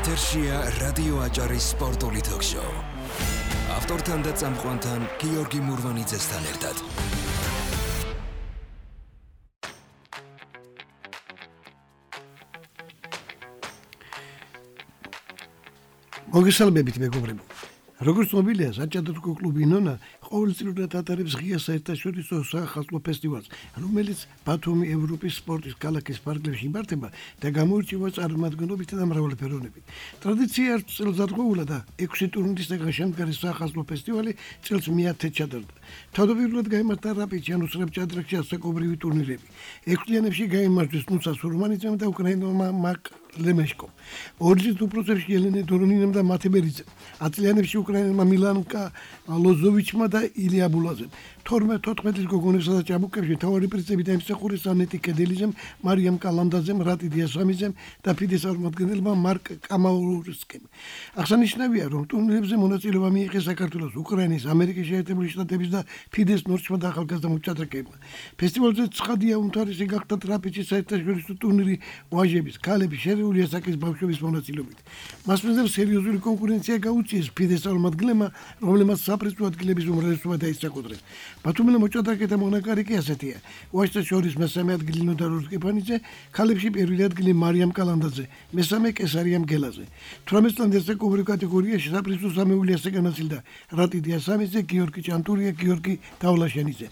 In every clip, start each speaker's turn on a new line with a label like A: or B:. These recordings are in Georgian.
A: ეთერშია რადიო აჭარის სპორტული თოქ-შოუ. ავტორთან და წამყვანთან გიორგი მურვანიძესთან ერთად.
B: მოგესალმებით მეგობრებო. როგორც მობილია საჭადრაკო კლუბი ნონა ყოველწლიურად ატარებს ღია საერთაშორისო სახალხო ფესტივალს, რომელიც ბათუმი ევროპის სპორტის ქალაქის ფარგლებში იმართება და გამოირჩევა წარმომადგენლობით და მრავალფეროვნებით. ტრადიცია ერთ წელს დადგმულა და 6 ტურნირისგან შემდგარი სახალხო ფესტივალი წელს მე-10 ჩატარდა. თავდაპირველად გაიმართა რაპიჩიანოს რებჭადრაკში ასაკობრივი ტურნირები. 6 წლიანებში გაიმარჯვეს ნუცა სურმანიძემ და უკრაინელმა მაკ ლემეშკომ. ორჯერ უპროცესში ელენე დორონინემ და მათე ბერიძემ. 10 წლიანებში უკრაინელმა მილანკა ლოზოვიჩმა და ილია ბულაძემ. 12-14 წლის გოგონებსა და ჭაბუკებში მთავარი პრიზები დაიმსახურეს ანეტი კედელიძემ, მარიამ კალანდაძემ, რატი დიასამიძემ და ფიდეს წარმომადგენელმა მარკ კამაურსკემ. აღსანიშნავია, რომ ტურნირებზე მონაწილეობა მიიღეს საქართველოს, უკრაინის, ამერიკის შეერთებული შტატების და ფიდეს ნორჩმა და ახალგაზრდა მოჭადრაკეებმა. ფესტივალზე ცხადია უმთავრესი გახდა ტრაპეციის საერთაშორისო ტურნირი ვაჟების, ქალების, შერეული ასაკის ბავშვების მონაწილეობით. მას მიზნად სერიოზული კონკურენცია გაუწიეს ფიდეს წარმომადგენლებმა, რომლებმაც საპრიზო ადგილების უმრავლესობა დაისაკუთრეს. ბათუმელა მოჭადრაკეთა მონაკარი კი ასეთია. ვაჟთა შორის მესამე ადგილი ნოდარ ორკეფანიძე, ქალებში პირველი ადგილი მარიამ კალანდაძე, მესამე კესარია მგელაძე. 18 წლამდე ასაკობრივ კატეგორიაში საპრიზო სამეული ასე განაწილდა რატი დიასამიძე, გიორგი ჭანტურია, გიორგი დავლაშენიძე.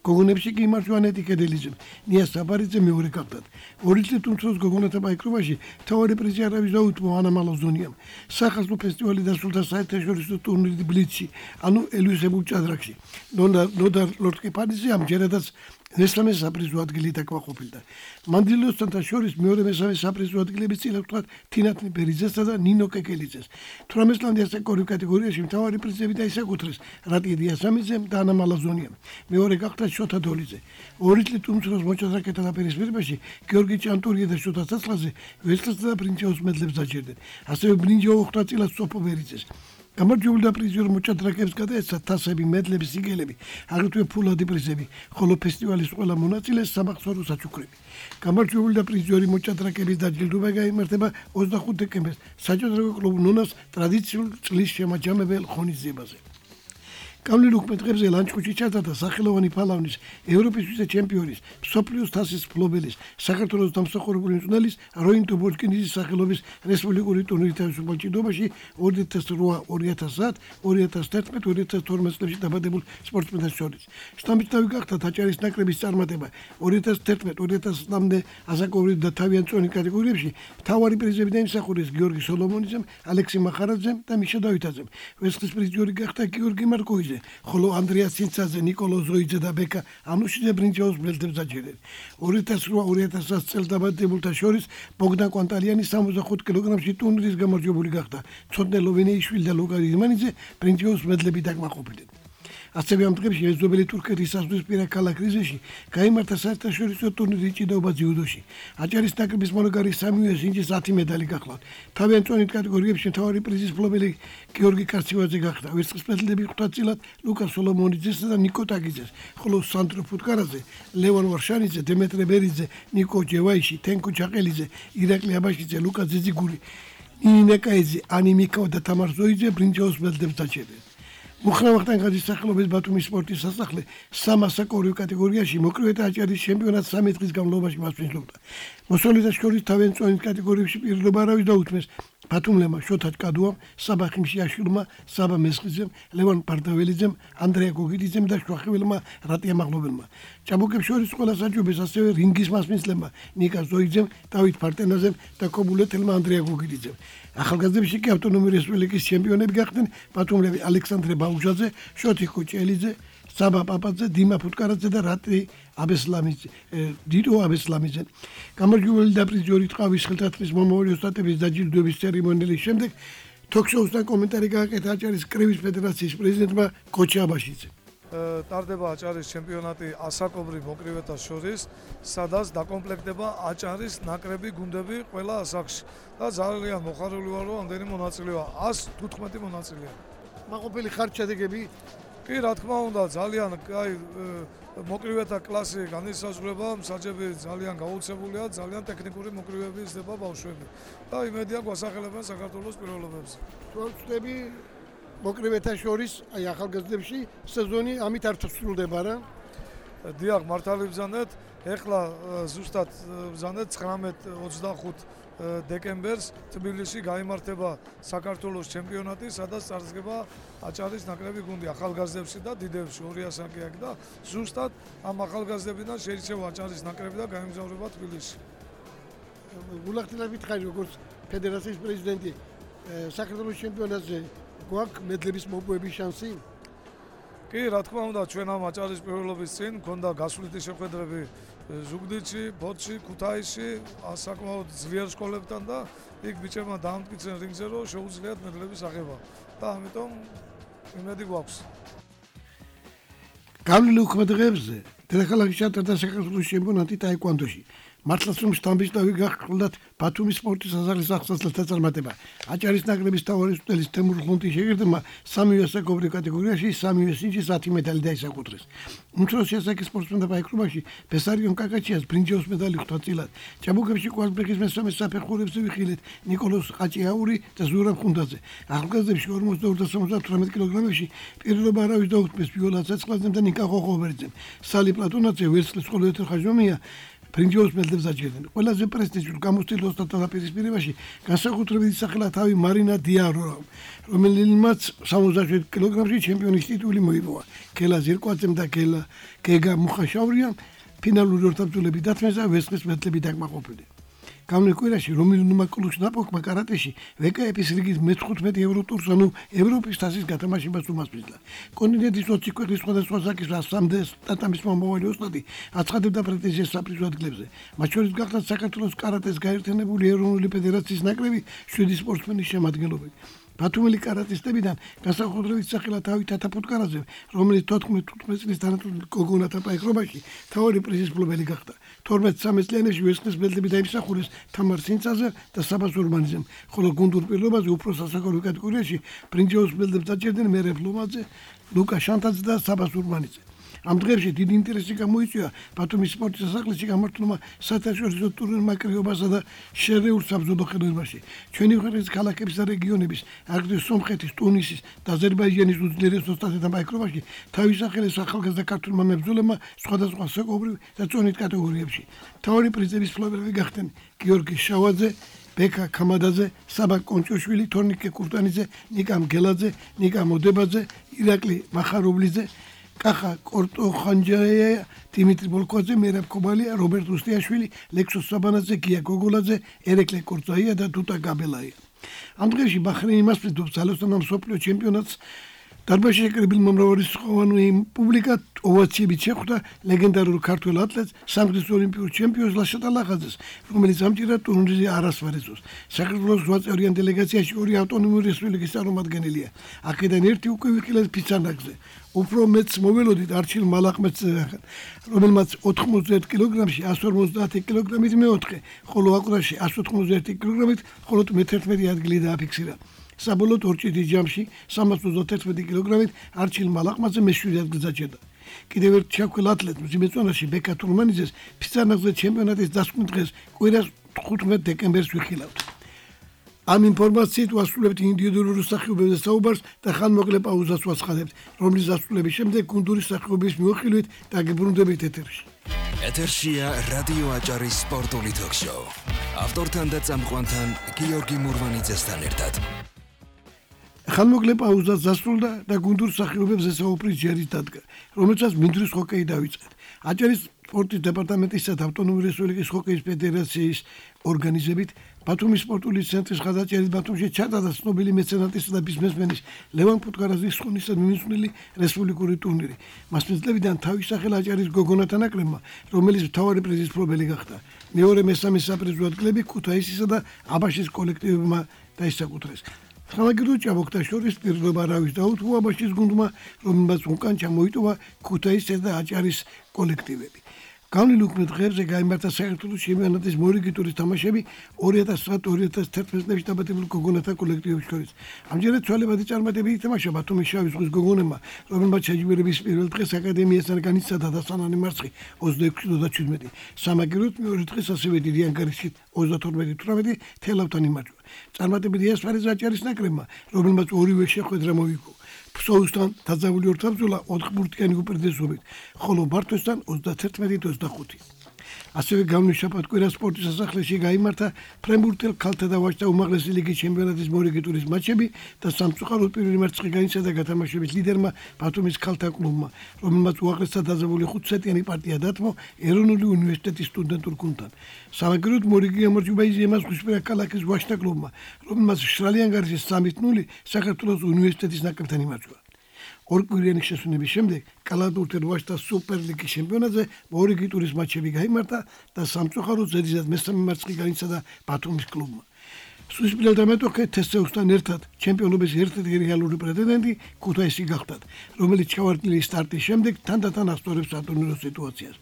B: გოგონებში კი იმართვა ანეტი კედელიძემ, ნია საბარიძე მეორე გახდათ. 2 წლით უმცროს გოგონათა ბაიკრობაში მთავარი პრიზი არავის დაუთმო ანა მალოზონიამ. სახალხო ფესტივალი დასრულდა საერთაშორისო ტურნირი ბლიცში, ანუ ელვისებულ ჭადრაკში. ნოდარ ლორტკეფანიძე ამჯერადაც მესამე საპრიზო ადგილი დაკმაყოფილდა. მანდილოსთან შორის მეორე მესამე საპრიზო ადგილები წილა ვთქვათ თინათნი ბერიძესა და ნინო კეკელიძეს. 18 წლამდე ასაკობრივ კატეგორიაში მთავარი პრიზები დაისაკუთრეს რატი დიასამიძემ და ანა მალაზონიამ. მეორე გახდა შოთა დოლიძე. 2 წლით უმცროს მოჭადრაკეთა დაპირისპირებაში გიორგი ჭანტურია და შოთა ცაცლაძე ვერცხლისა და ბრინჯაოს მედლებს დაჯერდნენ. ასევე ბრინჯაო 9 წილად სოფო ბერიძეს. გამარჯვებული და პრიზიორ მოჭადრაკეებს გადაეცა თასები, მედლები, სიგელები, აგრეთვე ფულადი პრიზები, ხოლო ფესტივალის ყველა მონაწილეს სამახსოვრო საჩუქრები. გამარჯვებული და პრიზიორი მოჭადრაკეების დაჯილდოება გაიმართება 25 დეკემბერს საჭადრაკო კლუბ ნონას ტრადიციულ წლის შემაჯამებელ ღონისძიებაზე. კავლენ უკმეტყებზე ლანჩხუთში ჩატარდა სახელოვანი ფალავნის, ევროპის ვიცე-ჩემპიონის, მსოფლიოს თასის მფლობელის, საქართველოს დამსახურებული მწვრთნელის როინ ტუბორკინიძის სახელობის რესპუბლიკური ტურნირი თავისუფალ ჭიდობაში 2008, 2010, 2011, 2012 წლებში დაბადებულ სპორტსმენთა შორის. შთამბეჭდავი გახდა აჭარის ნაკრების წარმატება 2011-2013-მდე ასაკობრივ და თავიანწონი კატეგორიებში მთავარი პრიზები დაიმსახურეს გიორგი სოლომონიძემ, ალექსი მახარაძემ და მიშა დავითაძემ. ვერცხლის პრიზიორი გახდა გიორგი მარკოვიძე, ხოლო ანდრია ცინცაძე, ნიკოლო ზოიძე და ბეკა ანუშიძე ბრინჯაოს მედლებს დაჯერდნენ. 2008-2010 წელს დაბადებულთა შორის ბოგდან კვანტალიანი 65 კილოგრამში ტურნირის გამარჯვებული გახდა. ცოტნე ლოვინეიშვილი და ლუკა ირმანიძე ბრინჯაოს მედლები დაკმაყოფილდნენ. ასევე ამ დღეებში მეზობელი თურქეთის საზღვრისპირა ქალაქ რიზეში გაიმართა საერთაშორისო ტურნირი ჭიდაობა ძიუდოში. აჭარის ნაკრების მონაგარი სამივე სინჯის 10 медали გახლავთ. თავიანწონით კატეგორიებში მთავარი პრიზის მფლობელი გიორგი კარცივაძე გახდა. ვერცხლის მედლები 5 წილად ლუკა სოლომონიძესა და ნიკო ტაგიძეს, ხოლო სანდრო ფუტკარაძე, ლევან ვარშანიძე, დემეტრე ბერიძე, ნიკო ჯევაიში, თენკო ჩაყელიძე, ირაკლი აბაშიძე, ლუკა ძიძიგური, ნინი კაიძე, ანი მიკავა და თამარ ზოიძე ბრინჯაოს მედლებს დაჯერდნენ. მუხრამახტან გადის სახელობის ბათუმის სპორტის სასახლე სამასაკობრივ კატეგორიაში მოკრივეთა აჭარის ჩემპიონატს 3 დღის განმავლობაში მასპინძლობდა. მოსწავლეთა შორის თავიანწონით კატეგორიებში პირველობა არავის დაუთმეს ბათუმლებმა შოთა ჭკადუამ, საბა ხიმშიაშვილმა, საბა მესხიძემ, ლევან პარდაველიძემ, ანდრია გოგიძემ და შვახიველმა რატია მაღლობელმა. ჭაბუკებს შორის ყველა საჯობეს ასევე რინგის მასპინძლებმა ნიკა ზოიძემ, დავით ფარტენაზემ და კობულეთელმა ანდრია გოგიძემ. ახალგაზრდებში კი ავტონომიური რესპუბლიკის ჩემპიონები გახდნენ ბათუმლები ალექსანდრე ბაუჟაძე, შოთი კუჭელიძე, საბა პაპაძე, დიმა ფუტკარაძე და რატი აბესლამიძე, დიდო აბესლამიძე. გამარჯვებული და პრიზიორი ტყავის ხელთათმის მომავალი ოსტატების დაჯილდოების ცერემონიალის შემდეგ თოქ-შოუსთან კომენტარი გააკეთა აჭარის კრების ფედერაციის პრეზიდენტმა კოჩი აბაშიძე.
C: ტარდება აჭარის ჩემპიონატი ასაკობრივ მოკრივეთა შორის, სადაც დაკომპლექტდება აჭარის ნაკრები გუნდები ყველა ასაკში და ძალიან მოხარული ვარ, რომ ამდენი მონაწილეა, 115 მონაწილეა.
B: მაყოფილი ხართ შედეგები
C: კი, რა თქმა უნდა, ძალიან კაი მოკრივეთა კლასი განისაზღვრება, მსაჯები ძალიან გაუცებულია, ძალიან ტექნიკური მოკრივეები იზრდება ბავშვები. და იმედია გვასახელებენ საქართველოს პირველობებზე.
B: ვწდები მოკრივეთა შორის, აი ახალგაზრდებში სეზონი ამით არ სრულდება რა?
C: დიახ, მართალი ბრძანეთ, ეხლა ზუსტად ბრძანეთ 19-25 დეკემბერს თბილისში გაიმართება საქართველოს ჩემპიონატი, სადაც წარსდგება აჭარის ნაკრები გუნდი ახალგაზრდებში და დიდებში 2 ასაკი აქვს და ზუსტად ამ ახალგაზრდებიდან შეირჩევა აჭარის ნაკრები და გაემგზავრება თბილისში.
B: გულახდილებით ხარ როგორც ფედერაციის პრეზიდენტი საქართველოს ჩემპიონატზე გვაქვს მედლების მოპოვების შანსი?
C: კი, რა თქმა უნდა, ჩვენ ამ აჭარის პირველობის წინ მქონდა გასვლითი შეხვედრები ზუგდიდში, ბოთში, ქუთაისში, საკმაოდ ძლიერ სკოლებთან და იქ ბიჭებმა დაამტკიცენ რინგზე, რომ შეუძლიათ მედლების აღება და ამიტომ იმედი გვაქვს.
B: გავლილი უქმედღებზე დედაქალაქში ჩატარდა საქართველოს ჩემპიონატი ტაიკვანდოში. მართლაც რომ შტამბისდავი გახსნათ ბათუმის სპორტის საზღვრის ახსნას დაწარმატება. აჭარის ნაკრების თავარის წელის თემურ ხუნტის შეერთებმა სამივე საკობრივ კატეგორიაში სამივე სინჯის 10 მედალი დაისაკუთრეს. უმცროსი ასაკის სპორტსმენთა პაიკრობაში ბესარიონ კაკაჩიას ბრინჯაოს მედალი ხვდა წილად. ჭაბუკებში კვარცხლბეკის მესამე საფეხურებზე ვიხილეთ ნიკოლოზ ყაჭიაური და ზურაბ ხუნდაძე. ახალგაზრდებში 42 და 78 კილოგრამებში პირველობა არავის დაუხმეს ბიოლა ცეცხლაძემ და ნიკა ხოხობერიძემ. სალი პლატონაძე ვერცხლის ყოლოეთერ ხაჟომია ბრინჯაოს მედლებს აჭერდნენ. ყველაზე პრესტიჟულ გამოცდილ ოსტატთა დაპირისპირებაში განსაკუთრებით ისახელა თავი მარინა დიარო, რომელმაც 77 კილოგრამში ჩემპიონის ტიტული მოიპოვა. კელა ზირკვაძემ და გეგა მუხაშავრიამ ფინალური ორთაბრძოლები დათმეს და ვერცხლის მედლები დაკმაყოფილდნენ. გამრე კვირაში რომილ ნუმაკულუს ნაპოკმა კარატეში ვკფ-ის რიგით მე-15 ევრო ტურს, ანუ ევროპის თასის გათამაშებას უმასპინძლა. კონტინენტის 20 ქვეყნის სხვადასხვა საკის 100 ტატამის მომავალი ოსტატი აცხადებდა პრეტენზიას საპრიზო ადგილებზე. მათ შორის გახლავთ საქართველოს კარატეს გაერთიანებული ეროვნული ფედერაციის ნაკრები 7 სპორტსმენის შემადგენლობით. ბათუმელი კარატისტებიდან განსაკუთრებით სახელა თავი თათაფუტკარაძე, რომელიც 14-15 წლის თანატოლ გოგონათა პაიკრობაში თავი პრიზის მფლობელი გახდა. 12-13 წლიანებში ვერცხლის მედლები დაიმსახურეს თამარ სინცაძე და საბას ურმანიძემ, ხოლო გუნდურ პირობაზე უფრო სასაკოლო კატეგორიაში ბრინჯაოს მედლებს დაჭერდნენ მერე ფლომაძე, ლუკა შანტაძე და საბას ურმანიძე. ამ დღეებში დიდი ინტერესი გამოიწვია ბათუმის სპორტის სასახლეში გამართულმა საერთაშორისო ტურნირმა კრიობასა და შერეულ საბრძოლო ხელოვნებაში. ჩვენი ქვეყნის ქალაქების და რეგიონების, აგრეთვე სომხეთის, ტუნისის და აზერბაიჯანის უძლიერეს ოსტატთა პაიკრობაში თავის სახელის ახალგაზრდა ქართულმა მებრძოლებმა სხვადასხვა საკობრივ და წონით კატეგორიებში. მთავარი პრიზების მფლობელები გახდნენ გიორგი შავაძე, ბეკა კამადაძე, საბა კონჭოშვილი, თორნიკე კურტანიძე, ნიკა მგელაძე, ნიკა მოდებაძე, ირაკლი მახარობლიძე, კახა კორტოხანჯაია, დიმიტრი ბოლკოძე, მერაბ კობალია, რობერტ უსტიაშვილი, ლექსოს საბანაძე, გია გოგოლაძე, ერეკლე კორწაია და დუტა გაბელაია. ამ დღეებში ბაჰრეინი მასპინძლობს ძალოსთან მსოფლიო ჩემპიონატს. დარბაზში შეკრებილ მომრავლისხოვანი პუბლიკა ოვაციებით შეხვდა ლეგენდარულ ქართველ ატლეტს, სამგზის ოლიმპიურ ჩემპიონს ლაშატ ალახაძეს, რომელიც ამჭირად ტურნირზე არასვარեցოს. საქართველოს 8 წევრიან დელეგაციაში 2 ავტონომიური რესპუბლიკის წარმომადგენელია. აქედან ერთი უკვე ვიხილეთ ფიცანაკზე. უფრო მეც მოველოდით არჩილ მალახმეთს, რომელმაც 91 კილოგრამში 150 კილოგრამით მეოთხე, ხოლო აკვრაში 191 კილოგრამით მხოლოდ მე-11 ადგილი დააფიქსირა. საბოლოოდ ორჭიდი ჯამში 321 კილოგრამით არჩილ მალახმაძე მე-7 ადგილს აჭერდა. კიდევ ერთ ჩაქვილ ატლეტ მძიმე წონაში ბეკა თურმანიძეს ფიცანაკზე ჩემპიონატის დასკვნის დღეს კვირას 15 დეკემბერს ვიხილავთ. ამ ინფორმაციით ვასრულებთ ინდივიდუალურ სახეობებზე საუბარს და ხანმოკლე პაუზას ვაცხადებთ, რომლის დასრულების შემდეგ გუნდური სახეობის მიუხილვით დაგებრუნდებით ეთერში.
A: ეთერშია რადიო აჭარის სპორტული თოქ-შოუ. ავტორთან და წამყვანთან გიორგი მურვანიძესთან ერთად.
B: ხანმოკლე პაუზას დასრულდა და გუნდურ სახეობებზე საუბრის ჯერით დადგა, რომელსაც მინდვრის ჰოკეი დავიწყეთ. აჭარის სპორტის დეპარტამენტისა და ავტონომიური რესპუბლიკის ჰოკეის ფედერაციის ორგანიზებით ბათუმის სპორტული ცენტრის ხაზაჭერით ბათუმში ჩატარდა ცნობილი მეცენატისა და ბიზნესმენის ლევან ფუტკარაძის ხუნისა მიმსვლელი რესპუბლიკური ტურნირი. მასპინძლებიდან თავის სახელს აჭარის გოგონათა ნაკრებმა, რომელიც მთავარი პრიზის მფლობელი გახდა. მეორე მესამე საპრიზო ადგილები ქუთაისისა და აბაშის კოლექტივებმა დაისაკუთრეს. ხალხურ ჭაბუკთა შორის პირდაპირ არავის დაუთმო აბაშის გუნდმა, რომელმაც უკან ჩამოიტოვა ქუთაისის და აჭარის კოლექტივები. განვლილ უქმე დღეებზე გაიმართა საქართველოს ჩემპიონატის მორიგი ტურის თამაშები 2009-2011 წლებში დაბადებულ გოგონათა კოლექტივებს შორის. ამჯერად ცვალებადი წარმატებით ითამაშა ბათუმის შავი ზღვის გოგონებმა, რომელმაც შეჯიბრების პირველ დღეს აკადემიასთან განიცადა დასანანი მარცხი 26-17. სამაგიეროდ მეორე დღეს ასევე დიდი ანგარიშით 32-18 თელავთან იმარჯვა. წარმატებითი ასპარეზი აჭარის ნაკრებმა, რომელმაც ორივე შეხვედრა მოიგო. ფსოუსთან დაძაბული ორთაბრძოლა 4 ბურთიანი უპირატესობით, ხოლო მართვესთან 31-25. ასევე განვლილ შაბათ-კვირა სპორტის სასახლეში გაიმართა ფრენბურთელ ქალთა და ვაჟთა უმაღლესი ლიგის ჩემპიონატის მორიგი ტურის მატჩები და სამწუხაროდ პირველი მარცხი განიცადა გათამაშების ლიდერმა ბათუმის ქალთა კლუბმა, რომელმაც უაღრესად დაძაბული 5 სეტიანი პარტია დათმო ეროვნული უნივერსიტეტის სტუდენტურ გუნდთან. სამაგიეროდ მორიგი გამარჯვება იზიამა ზღვისპირა ქალაქის ვაჟთა კლუბმა, რომელმაც მშრალი ანგარიშის 3-0 საქართველოს უნივერსიტეტის ნაკრებთან იმარჯვა. ორკვირიანი შესვენების შემდეგ კალათბურთელ ვაჟთა სუპერლიგის ჩემპიონატზე მორიგი ტურის მატჩები გაიმართა და სამწუხაროდ ზედიზად მესამე მარცხი განიცადა ბათუმის კლუბმა. სუისპილელ დამეტოქე თესეუსთან ერთად ჩემპიონობის ერთ-ერთი რეალური პრეტენდენტი ქუთაისი გახდათ, რომელიც ჩავარდნილი სტარტის შემდეგ თანდათან ასწორებს სატურნირო სიტუაციას.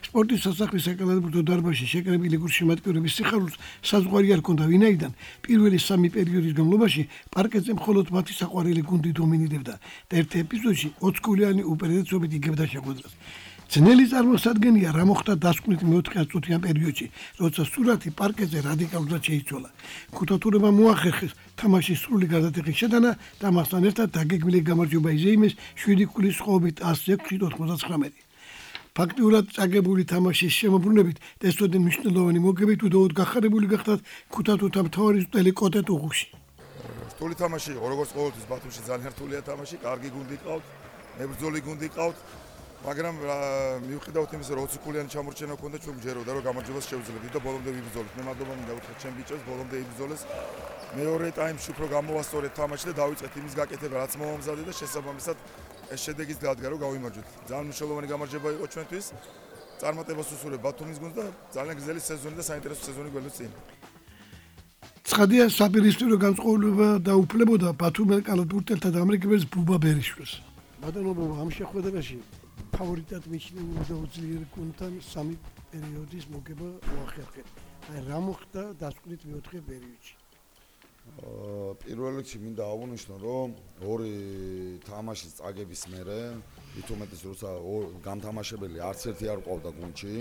B: სპორტის სასახლის საკალათბურთო დარბაზში შეკრებილი გულშემატკივრების სიხარულს საზღვარი არ ჰქონდა, ვინაიდან პირველი 3 პერიოდის განმავლობაში პარკეტზე მხოლოდ მათი საყვარელი გუნდი დომინირებდა და ერთ ეპიზოდში 20 გოლიანი უპირატესობით იგებდა შეხვედრას. ძნელი წარმოსადგენია რა მოხდა დასკვნით მეოთხე აწუთიან პერიოდში, როცა სურათი პარკეტზე რადიკალურად შეიცვალა. ქუთათურებმა მოახერხეს თამაშის სრული გარდატეხის შეტანა და მასთან ერთად დაგეგმილი გამარჯვება იზეიმეს 7 ქულის სხვაობით 106-99. ფაქტიურად წაგებული თამაშის შემოbrunებით დასწოდენ მნიშვნელოვანი მოგებით უდაოდ გახარებული გახდათ ქუთათურთა მთავარი წელი კოტე ტუღუში.
D: რთული თამაში იყო, როგორც ყოველთვის ბათუმში ძალიან რთულია თამაში, კარგი გუნდი ყავთ, მებრძოლი გუნდი ყავთ. მაგრამ მივყიდავთ იმის, რომ 20 ქულიანი ჩამორჩენა ჰქონდა, ჩვენ გჯეროდა, რომ გამარჯვებას შევძლებდით და ბოლომდე ვიბრძოლეთ. მე მადლობა მინდა უთხრა ჩემ ბიჭებს, ბოლომდე იბრძოლეს. მეორე ტაიმში უფრო გამოვასწორეთ თამაში და დავიწყეთ იმის გაკეთება, რაც მომამზადე და შესაბამისად ეს შედეგიც დადგა, რომ გავიმარჯვეთ. ძალიან მნიშვნელოვანი გამარჯვება იყო ჩვენთვის. წარმატებას უსურვებ ბათუმის გუნდს და ძალიან გრძელი სეზონი და საინტერესო სეზონი გველოს წინ.
B: ცხადია, საპირისპირო განწყობილება დაუფლებოდა ბათუმელ კალათბურთელთა და ამერიკელს ბუბა ბერიშვილს. ბატონო, ამ შეხვედრაში ფავორიტად მიჩნეულ უძლიერო გუნდთან 3 პერიოდის მოგება უახერხეთ. აი რა მოხდა დასკვნით მეოთხე პერიოდში?
D: პირველ რიგში მინდა აღვნიშნო, რომ ორი თამაშის წაგების მერე, ვითომეტეს როცა გამთამაშებელი არც ერთი არ ყავდა გუნდში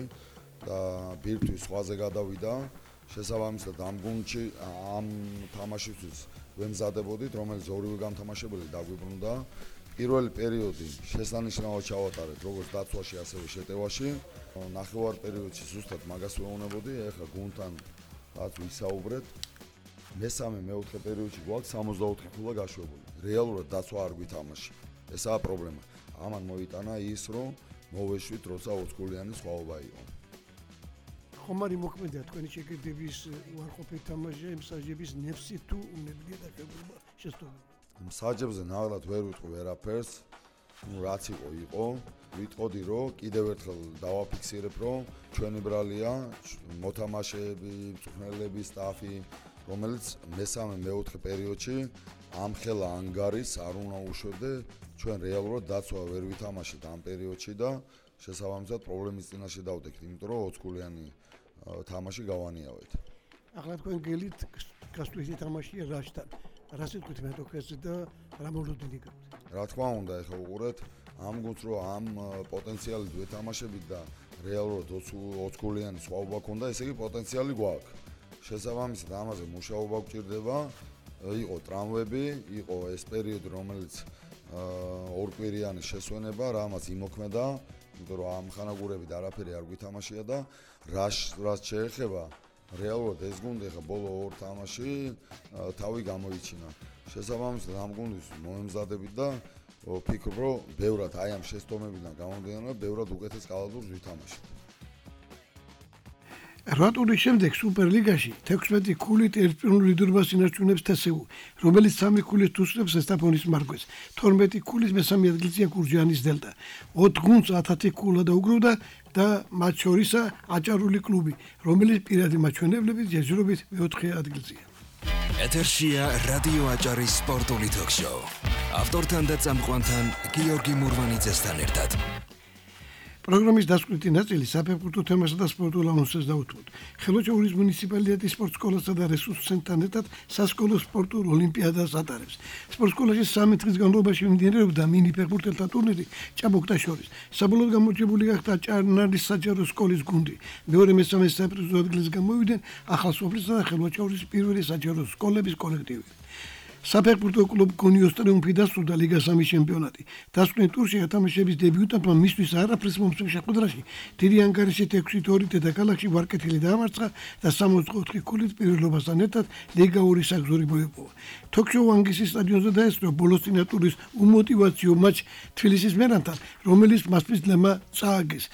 D: და ბირთვის სხვაზე გადავიდა, შესაბამისად ამ გუნდში ამ თამაშისთვის ვემზადებოდით, რომელიც ორივე გამთამაშებელი დაგვიბრუნდა. პირველი პერიოდი შესანიშნავად ჩავატარეთ როგორც დაცვაში, ასევე შეტევაში. ნახევარ პერიოდში ზუსტად მაგას ვეუბნებოდი, ეხლა გუნდთან რაც ვისაუბრეთ. მესამე მეოთხე პერიოდში გვაქვს 64 ქულა გაშვებული. რეალურად დაცვა არ გვითამაში. ესაა პრობლემა. ამან მოიტანა ის, რომ მოვეშვით, როცა 20 გოლიანი სხვაობა იყო.
B: ხომ არის მოქმედია თქვენი შეკეთების უარყოფით თამაში, მსაჯების ნეფსი თუ უნებლიე და შესწავლილი?
D: მსაჯებზე ნაღდათ ვერ ვიტყვი ვერაფერს. რაც იყო. ვიტყოდი, რომ კიდევ ერთხელ დავაფიქსირებ, რომ ჩვენი ბრალია, მოთამაშეები, მწვრთნელები, სტაფი, რომელიც მესამე მეოთხე პერიოდში ამ ხელა ანგარიშს არ უნდა უშვებდე, ჩვენ რეალურად დაცვა ვერ ვითამაშეთ ამ პერიოდში და შესაბამისად პრობლემის წინაშე დავდექით, იმიტომ რომ 20 გოლიანი თამაში გავანიავეთ.
B: ახლა თქვენ გელით გასტვისი თამაშია რაშთან. რას იტყვით მეტოქეზე და რა მოლოდინი გაქვთ?
D: რა თქმა უნდა, ეხლა უყურეთ ამ გუნდს, რომ ამ პოტენციალით ვეთამაშებით და რეალურად 20 გოლიანი სხვაობა ქონდა, ესე იგი პოტენციალი გვაქვს. შესაბამისად ამაზე მუშაობა გვჭირდება. იყო ტრამვები, იყო ეს პერიოდი, რომელიც ორკვირიანი შესვენება, რამაც იმოქმედა, იმიტომ რომ ამ ხანაგურებით არაფერი არ გვითამაშია და რაც შეეხება რეალურად ეს გუნდი ხა ბოლო ორ თამაში თავი გამოიჩინა. შესაბამისად ამ გუნდის მოემზადებით და ვფიქრობ, რომ ბევრად აი ამ შეცდომებიდან გამომდინარე, ბევრად უკეთეს კალათბურთს ვითამაშეთ.
B: რატურის შემდეგ სუპერლიგაში 16 ქულით ერთპიროვნულ ლიდერობას ინარჩუნებს თესეუ, რომელიც 3 ქულით უსწრებს ესტაფონის მარგვეს. 12 ქულის მესამე ადგილზეა გურჯაანის დელტა. 4 გუნდს 10 ქულა დაუგროვდა და მათ შორისა აჭარული კლუბი, რომელიც პირადი მაჩვენებლებით ჯერჯერობით მეოთხე ადგილზეა.
A: ეთერშია რადიო აჭარის სპორტული თოქ-შოუ. ავტორთან და წამყვანთან გიორგი მურვანიძესთან ერთად.
B: პროგრამის დასკვნითი ნაწილი საფეხბურთო თემასა და სპორტულ ანონსებს დაუთმოთ. ხელოჩაურის მუნიციპალიტეტის სპორტ სკოლასა და რესურს ცენტრთან ერთად სასკოლო სპორტულ ოლიმპიადას ატარებს. სპორტ სკოლაში 3 დღის განმავლობაში მიმდინარეობდა მინი ფეხბურთელთა ტურნირი ჭაბუკთა შორის. საბოლოოდ გამარჯვებული გახდა ჭარნარის საჯარო სკოლის გუნდი. მეორე მესამე საპრიზო ადგილზე გამოვიდნენ ახალსოფლისა და ხელოჩაურის პირველი საჯარო სკოლების კოლექტივი. საფეხბურთო კლუბ გონიოს ტრიუმფი დასრულდა ლიგა 3 ჩემპიონატი. დასკვნით ტურში ათამაშების დებიუტანტმა მისთვის არაფრის მომცემ შეხვედრაში დიდი ანგარიშით 6-2 დედაქალაქში ვარკეთილი დაამარცხა და 64 ქულით პირველობასთან ერთად ლიგა 2 საგზური მოიპოვა. თოქშოუ ანგისის სტადიონზე დაესწრო ბოლოს წინა ტურის უმოტივაციო მატჩ თბილისის მერანთან, რომელიც მასპის ძლემა წააგეს.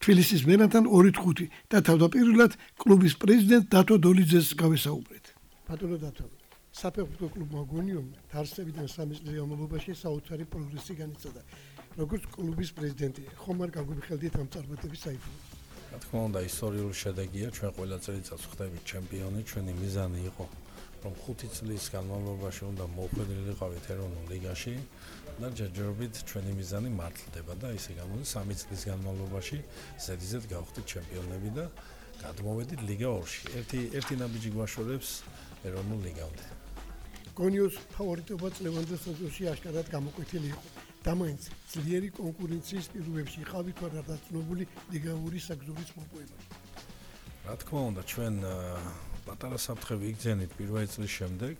B: თბილისის მერანთან 2-5 და თავდაპირველად კლუბის პრეზიდენტ დათო დოლიძეს გავესაუბრეთ. ბატონო დათო, საფეხბურთო კლუბმა გონიომ დაარსებიდან 3 წლის განმავლობაში საოცარი პროგრესი განიცადა. როგორც კლუბის პრეზიდენტი, ხომ არ გაგვიხელდით ამ წარმატების საიდუმლო?
E: რა თქმა უნდა, ისტორიული შედეგია, ჩვენ ყველა წელიწადს ხდებით ჩემპიონი, ჩვენი მიზანი იყო, რომ 5 წლის განმავლობაში უნდა მოხვედრილიყავით ეროვნულ ლიგაში და ჯერჯერობით ჩვენი მიზანი მართლდება და ისე გამოდის 3 წლის განმავლობაში ზედიზედ გავხდით ჩემპიონები და გადმოვედით ლიგა 2-ში. ერთი ნაბიჯი გვაშორებს ეროვნულ ლიგამდე.
B: გონიოს ფავორიტობა წლევანდელ სეზონში აშკარად გამოკვეთილი იყო. და მაინც ძლიერი კონკურენციის პირობებში იყავით თუ არა დაცნობილი ლიგა 2 საგზურის მოპოვებაში.
E: რა თქმა უნდა, ჩვენ პატარა საფრთხე ვიგრძენით პირველი წლის შემდეგ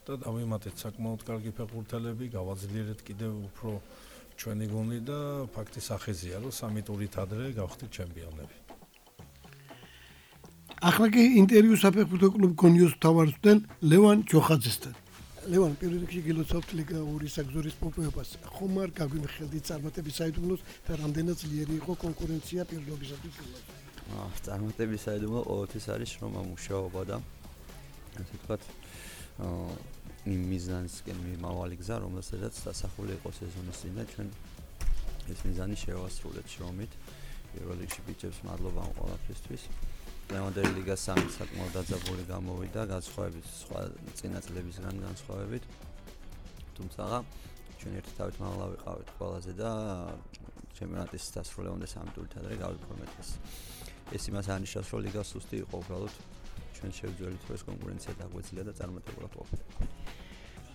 E: და დავიმატეთ საკმაოდ კარგი ფეხბურთელები, გავაძლიერეთ კიდევ უფრო ჩვენი გუნდი და ფაქტის ახეზია, რომ 3 ტურით ადრე გავხდით ჩემპიონები.
B: ახლა კი ინტერვიუ საფეხბურთო კლუბ გონიოს მთავარსდენ ლევან ჯოხაძესთან. ლევან, პირველ რიგში გილოცავთ ლიგა 2 საგზურის მოპოვებას. ხომ არ გაგვიმხელდით წარმატების საიდუმლოს და რამდენად ძლიერი იყო კონკურენცია პირობისათვის?
F: წარმატების საიდუმლო ყოველთვის არის შრომა, მუშაობა და ასე ვთქვათ, იმ მიზანისკენ მიმავალი გზა, რომელსაც დასახული იყო სეზონის წინ და ჩვენ ეს მიზანი შევასრულეთ შრომით. პირველ რიგში ბიჭებს მადლობა ამ ყველაფრისთვის. ლევანდელი ლიგა 3 საკმაოდ დაძაბული გამოვიდა, განსხვავებით სხვა წინა წლებისგან განსხვავებით. თუმცა ჩვენ ერთი თავით მაღლა ვიყავით ყველაზე და ჩემპიონატის დასრულებამდე 3 ტურით ადრე გავიფორმეთ ეს. ეს იმას ანიშნავს, რომ ლიგა სუსტი იყო, უბრალოდ ჩვენ შევძველით, რომ ეს კონკურენცია დაგვეძლია და წარმატებულად ყოფილიყო.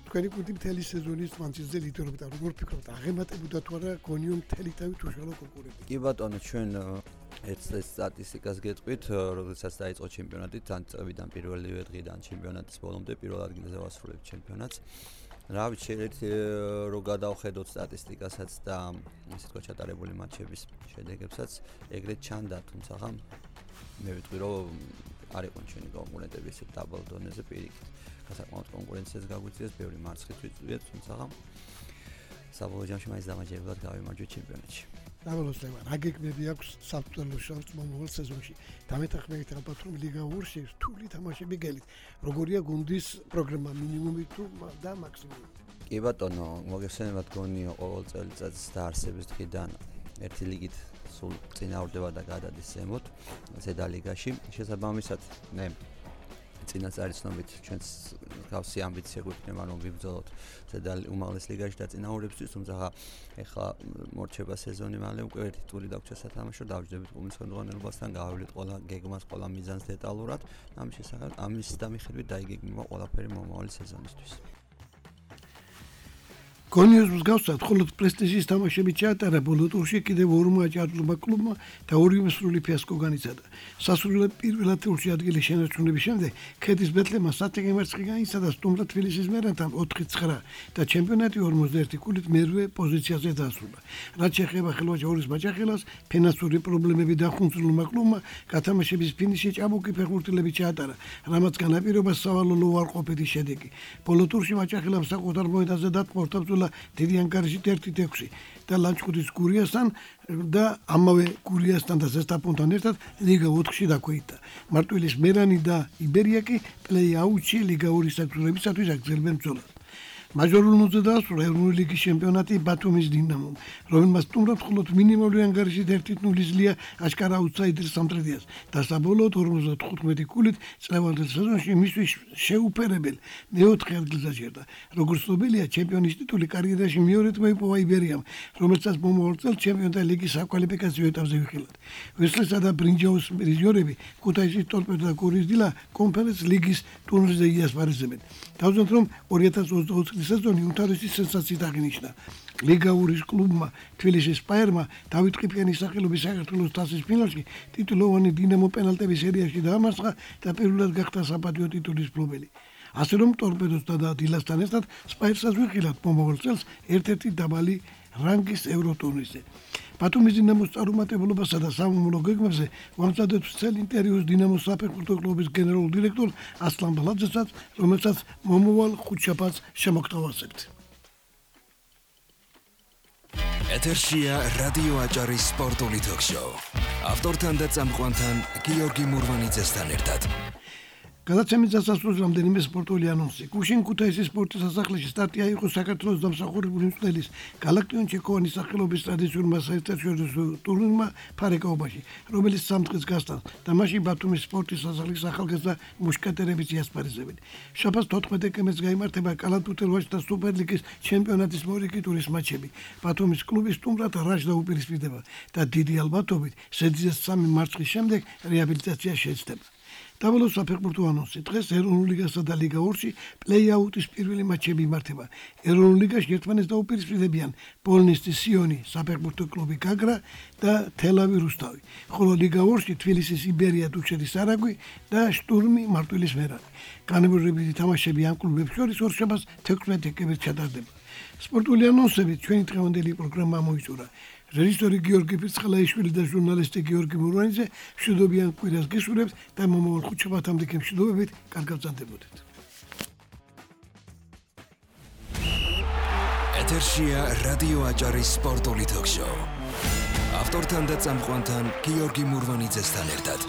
B: თქვენი გუნდი მთელი სეზონის მანძილზე ლიდერობდა. როგორ ფიქრობთ, აღემატებოდა თუ არა გონიომ მთელი თავით უშუალო კონკურენტი?
F: კი ბატონო, ჩვენ ეს სტატისტიკას გეტყვით, როდესაც დაიწყო ჩემპიონატი, თან წლიდან პირველივე დღიდან ჩემპიონატის ბოლომდე პირველ ადგილზე ვასრულებთ ჩემპიონატს. რა ვიცი, შეიძლება რომ გადავხედოთ სტატისტიკასაც და ასე თქვა ჩატარებული მატჩების შედეგებსაც, ეგრეთ ჩანდა, თუმცა მე ვიტყვი, რომ არ იყო ჩვენი კონკურენტები ისე დაბალ დონეზე პირიქით. საკმაოდ კონკურენციას გაგვიწიეს, ბევრი მარცხით ვიწვიეთ, თუმცა საბოლოო ჯამში მაინც დამაჯერებლად გავიმარჯვეთ ჩემპიონატში.
B: დავალოს ლევან, რა გეგმები აქვს საფრთხე შორტს მომავალ სეზონში? დამეთანხმებით ალბათ რომ ლიგა 2-ში რთული თამაშები გელით. როგორია გუნდის პროგრამა, მინიმუმი თუ და მაქსიმუმი?
F: კი ბატონო, მოგეხსენებათ გონიო ყოველ წელიწადს დაარსების დღიდან ერთი ლიგით სულ წინააღმდება და გადადის ზემოთ ზედა ლიგაში. შესაბამისად, მე წინასწარი ცნობით ჩვენს გავსი ამბიცია გვექნება რომ ვიბრძოლოთ ზედა უმაღლეს ლიგაში და წინააღმდეგობისთვის, თუმცა ეხლა მორჩება სეზონი, მალე უკვე ერთი ტური დაგვჭირდა სათამაშო, დავჯდებით გუნდის ხელმძღვანელობასთან, გავავლით ყველა გეგმას, ყველა მიზანს დეტალურად. ამის შესახებ, ამის დამიხედვით დაიგეგმება ყველაფერი მომავალი სეზონისთვის.
B: გონიოს მსგავსად, მხოლოდ პრესტიჟის თამაშები ჩაატარა ბოლო ტურში კიდევ 2 აჭარბლობა კლუბმა და 2 სრული ფიასკო განიცადა. სასრულე პირველად ტურში ადგილის შენარჩუნების შემდეგ ქედის ბეთლემმა სათეკე მარცხი განიცადა სტუმრად თბილისის მერანთან 4-9 და ჩემპიონატი 51 ქულით მერვე პოზიციაზე დასრულა. რაც შეეხება ხელვაჭაურის მაჭახელას, ფინანსური პრობლემები დახუნცლულმა კლუბმა გათამაშების ფინიში ჭაბუკი ფეხბურთელები ჩაატარა, რამაც განაპირობა სავალალო უარყოფითი შედეგი. ბოლო ტურში მაჭახელამ საკუთარ მოედანზე დატყორ დიდი ანგარიშით 1-6 და ლანჩხუთის გურიასთან და ამავე გურიასთან და ზესტაფონთან ერთად ლიგა 4-ში დაქვეითდა. მარტვილის მერანი და იბერია კი პლეი-აუთში ლიგა 2 საგზურებისათვის აგრძელებენ ბრძოლას. მაჟორულ ნოზე დაასრულა ეროვნული ლიგის ჩემპიონატი ბათუმის დინამომ, რომელმაც სტუმრად მხოლოდ მინიმალური ანგარიშით 1-0 ზლია აშკარა აუტსაიდერ სამტრედიას და საბოლოოდ 55 ქულით წლევანდელ სეზონში მისთვის შეუფერებელ მეოთხე ადგილს დაჭერდა. როგორც ცნობილია, ჩემპიონის ტიტული კარიერაში მეორედ მოიპოვა იბერიამ, რომელსაც მომავალ წელს ჩემპიონთა ლიგის საკვალიფიკაციო ეტაპზე ვიხილავთ. ვესლესა და ბრინჯაოს პრიზიორები ქუთაისის ტორპედო და გორის დილა კონფერენს ლიგის ტურნირზე იასპარეზებენ. თავზეთ რომ 2024 წლის სეზონი უმთავრესი სენსაციით აღინიშნა. ლიგაურის კლუბმა თბილისის სპაერმა დავით ყიფიანის სახელობის საქართველოს თასის ფინალში ტიტულოვანი დინამო პენალტების სერიაში დაამარცხა და პირველად გახდა საპატიო ტიტულის მფლობელი. ასე რომ ტორპედოსთან და დილასთან ერთად სპაერსაც ვიხილავთ მომავალ წელს ერთ-ერთი დაბალი რანგის ევროტურნირზე. ბათუმის დინამოს წარუმატებლობასა და სამომავლო გეგმებზე ვამზადეთ მთელ ინტერვიუს დინამოს საფეხბურთო კლუბის გენერალურ დირექტორ ასლან ბალაძესაც, რომელსაც მომავალ ხუთშაბათს შემოგთავაზებთ.
A: ეთერშია რადიო აჭარის სპორტული ток-შოუ. ავტორთან და წამყვანთან გიორგი მურვანიძესთან ერთად.
B: გადაცემის დასასრულს რამდენიმე სპორტული ანონსი. გუშინ ქუთაისის სპორტის სასახლეში სტარტი აიღო საქართველოს დამსახურებული მწვრთნელის გალაქტიონ ჩეკოვანის სახელობის ტრადიციულმა საერთაშორისო ტურნირმა ფარეკაობაში, რომელიც 3 დღეს გასტანს და მასში ბათუმის სპორტის სასახლის ახალგაზრდა მუშკეტერების იასპარეზებენ. შაბათს 14 დეკემბერს გაიმართება კალათბურთელ ვაჟთა სუპერლიგის ჩემპიონატის მორიგი ტურის მატჩები. ბათუმის კლუბი სტუმრად რაშ დაუპირისპირდება და დიდი ალბათობით სეძიეს 3 მარცხის შემდეგ რეაბილიტაცია შეეცდება. დაბოლოს საფეხბურთო ანონსი. დღეს ეროვნულ ლიგასა და ლიგა 2-ში პლეი-აუტის პირველი მატჩები იმართება. ეროვნულ ლიგაში ერთმანეთს დაუპირისპირდებიან პოლნისტი სიონი, საფეხბურთო კლუბი გაგრა და თელავი რუსთავი. ხოლო ლიგა 2-ში თბილისის იბერია დუჩეთის არაგვი და შტურმი მარტვილის მერანი. განმეორებითი თამაშები ამ კლუბებს შორის ორშაბათს 16 დეკემბერს ჩატარდება. სპორტული ანონსებით ჩვენი დღევანდელი პროგრამა მოიწურა. რეჟისორი გიორგი ფირცხალაიშვილი და ჟურნალისტი გიორგი მურვანიძე მშვიდობიან კვირას გესურვებთ და მომავალ ხუთშაბათამდე მშვიდობებით კარგად ბრძანდებოდეთ.
A: ეთერშია რადიო აჭარის სპორტული ток-შოუ. ავტორთან და წამყვანთან გიორგი მურვანიძესთან ერთად.